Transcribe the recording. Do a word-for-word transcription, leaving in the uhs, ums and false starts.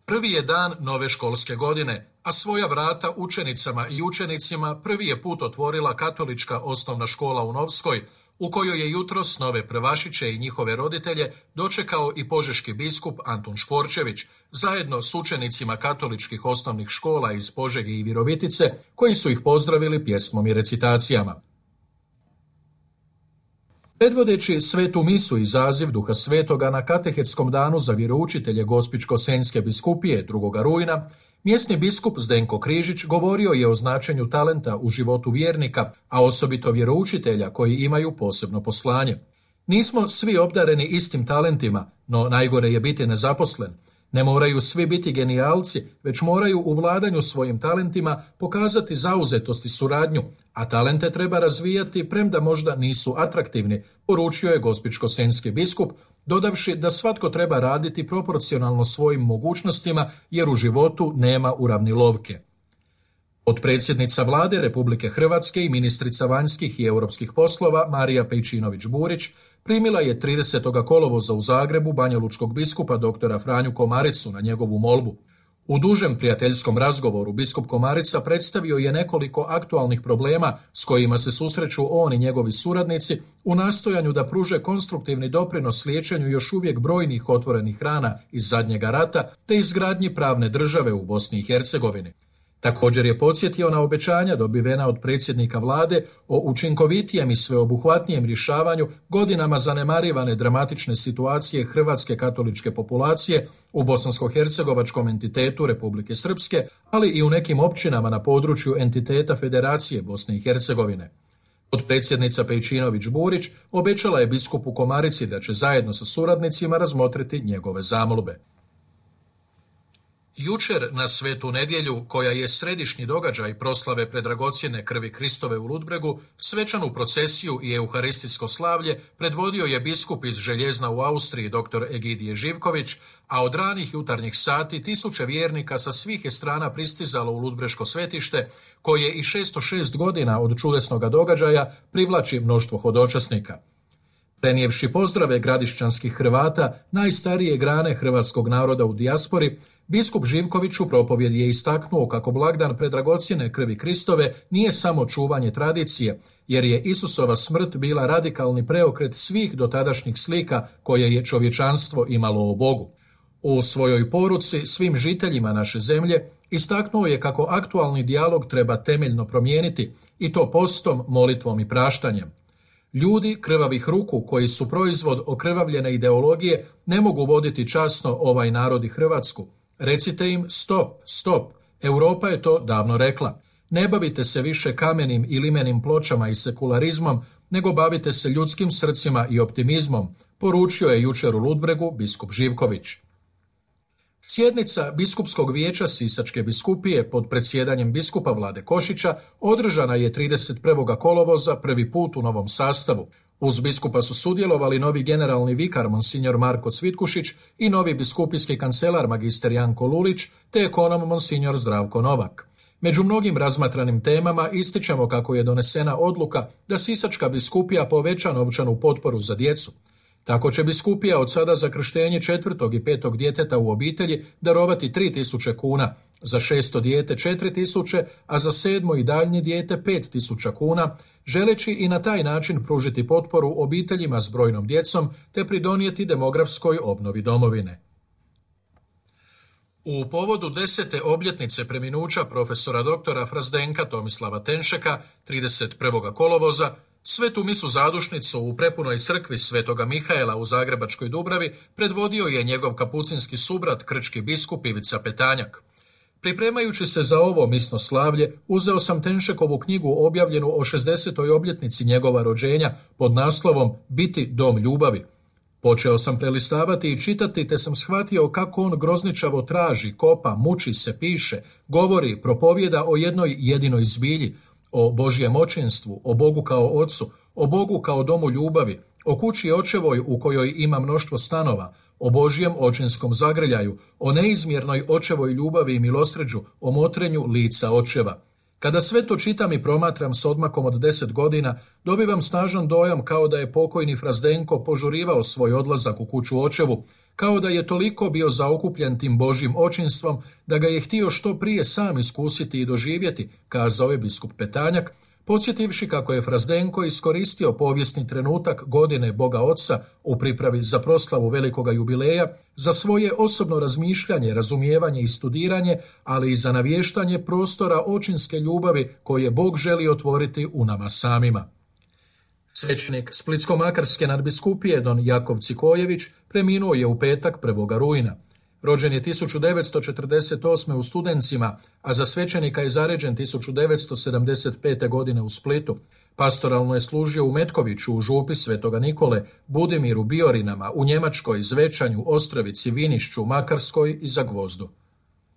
Prvi je dan nove školske godine, a svoja vrata učenicama i učenicima prvi je put otvorila katolička osnovna škola u Novskoj, u kojoj je jutros nove prvašiće i njihove roditelje dočekao i požeški biskup Antun Škvorčević, zajedno s učenicima katoličkih osnovnih škola iz Požege i Virovitice, koji su ih pozdravili pjesmom i recitacijama. Predvodeći svetu misu i zaziv Duha Svetoga na katehetskom danu za vjeroučitelje Gospićko-senjske biskupije drugoga rujna, mjesni biskup Zdenko Križić govorio je o značenju talenta u životu vjernika, a osobito vjeroučitelja koji imaju posebno poslanje. Nismo svi obdareni istim talentima, no najgore je biti nezaposlen. Ne moraju svi biti genijalci, već moraju u vladanju svojim talentima pokazati zauzetost i suradnju, a talente treba razvijati premda možda nisu atraktivni, poručio je gospićko-senjski biskup, dodavši da svatko treba raditi proporcionalno svojim mogućnostima jer u životu nema uravnilovke. Potpredsjednica Vlade Republike Hrvatske i ministrica vanjskih i europskih poslova Marija Pejčinović-Burić primila je tridesetog kolovoza u Zagrebu banjalučkog biskupa doktora Franju Komaricu na njegovu molbu. U dužem prijateljskom razgovoru biskup Komarica predstavio je nekoliko aktualnih problema s kojima se susreću on i njegovi suradnici u nastojanju da pruže konstruktivni doprinos liječenju još uvijek brojnih otvorenih rana iz zadnjega rata te izgradnji pravne države u Bosni i Hercegovini. Također je podsjetio na obećanja dobivena od predsjednika vlade o učinkovitijem i sveobuhvatnijem rješavanju godinama zanemarivane dramatične situacije hrvatske katoličke populacije u bosansko-hercegovačkom entitetu Republike Srpske, ali i u nekim općinama na području entiteta Federacije Bosne i Hercegovine. Potpredsjednica Pejčinović-Burić obećala je biskupu Komarici da će zajedno sa suradnicima razmotriti njegove zamolbe. Jučer na Svetu nedjelju, koja je središnji događaj proslave predragocjene krvi Kristove u Ludbregu, svečanu procesiju i euharistijsko slavlje predvodio je biskup iz Željezna u Austriji dr. Egidije Živković, a od ranih jutarnjih sati tisuće vjernika sa svih je strana pristizalo u Ludbreško svetište, koje i šesto šest godina od čudesnoga događaja privlači mnoštvo hodočasnika. Prenijevši pozdrave gradišćanskih Hrvata, najstarije grane hrvatskog naroda u dijaspori, biskup Živković u propovjedi je istaknuo kako blagdan predragocjene krvi Kristove nije samo čuvanje tradicije, jer je Isusova smrt bila radikalni preokret svih dotadašnjih slika koje je čovječanstvo imalo o Bogu. U svojoj poruci svim žiteljima naše zemlje istaknuo je kako aktualni dijalog treba temeljno promijeniti, i to postom, molitvom i praštanjem. Ljudi krvavih ruku koji su proizvod okrvavljene ideologije ne mogu voditi časno ovaj narod i Hrvatsku. Recite im stop, stop, Europa je to davno rekla. Ne bavite se više kamenim i limenim pločama i sekularizmom, nego bavite se ljudskim srcima i optimizmom, poručio je jučer u Ludbregu biskup Živković. Sjednica Biskupskog vijeća Sisačke biskupije pod predsjedanjem biskupa Vlade Košića održana je trideset prvog kolovoza prvi put u novom sastavu. Uz biskupa su sudjelovali novi generalni vikar monsignor Marko Cvitkušić i novi biskupijski kancelar magister Janko Lulić te ekonom monsignor Zdravko Novak. Među mnogim razmatranim temama ističemo kako je donesena odluka da Sisačka biskupija poveća novčanu potporu za djecu. Tako će biskupija od sada za krštenje četvrtog i petog djeteta u obitelji darovati tri tisuće kuna, za šesto dijete četiri tisuće, a za sedmo i daljnje dijete pet tisuća kuna, želeći i na taj način pružiti potporu obiteljima s brojnom djecom te pridonijeti demografskoj obnovi domovine. U povodu desete obljetnice preminuća profesora doktora Frazdenka Tomislava Tenšeka, trideset prvog kolovoza, svetu misu zadušnicu u prepunoj crkvi Svetoga Mihaela u Zagrebačkoj Dubravi predvodio je njegov kapucinski subrat krčki biskup Ivica Petanjak. Pripremajući se za ovo misno slavlje, uzeo sam Tenšekovu knjigu objavljenu o šezdesetoj obljetnici njegova rođenja pod naslovom Biti dom ljubavi. Počeo sam prelistavati i čitati, te sam shvatio kako on grozničavo traži, kopa, muči se, piše, govori, propovjeda o jednoj jedinoj zbilji, o Božjem očinstvu, o Bogu kao Ocu, o Bogu kao domu ljubavi, o kući očevoj u kojoj ima mnoštvo stanova, o Božjem očinskom zagrljaju, o neizmjernoj očevoj ljubavi i milosrđu, o motrenju lica očeva. Kada sve to čitam i promatram s odmakom od deset godina, dobivam snažan dojam kao da je pokojni Frazdenko požurivao svoj odlazak u kuću očevu, kao da je toliko bio zaokupljen tim Božjim očinstvom da ga je htio što prije sam iskusiti i doživjeti, kazao je biskup Petanjak, podsjetivši kako je Frazdenko iskoristio povijesni trenutak godine Boga Oca u pripravi za proslavu velikoga jubileja za svoje osobno razmišljanje, razumijevanje i studiranje, ali i za navještanje prostora očinske ljubavi koje Bog želi otvoriti u nama samima. Svećenik Splitsko-makarske nadbiskupije don Jakov Cikojević preminuo je u petak prvog rujna. Rođen je tisuću devetsto četrdeset osme u Studencima, a za svećenika je zaređen tisuću devetsto sedamdeset pete. godine u Splitu. Pastoralno je služio u Metkoviću, u župi Svetoga Nikole, Budimiru, Biorinama, u Njemačkoj, Zvečanju, Ostrovici, Vinišću, Makarskoj i Zagvozdu.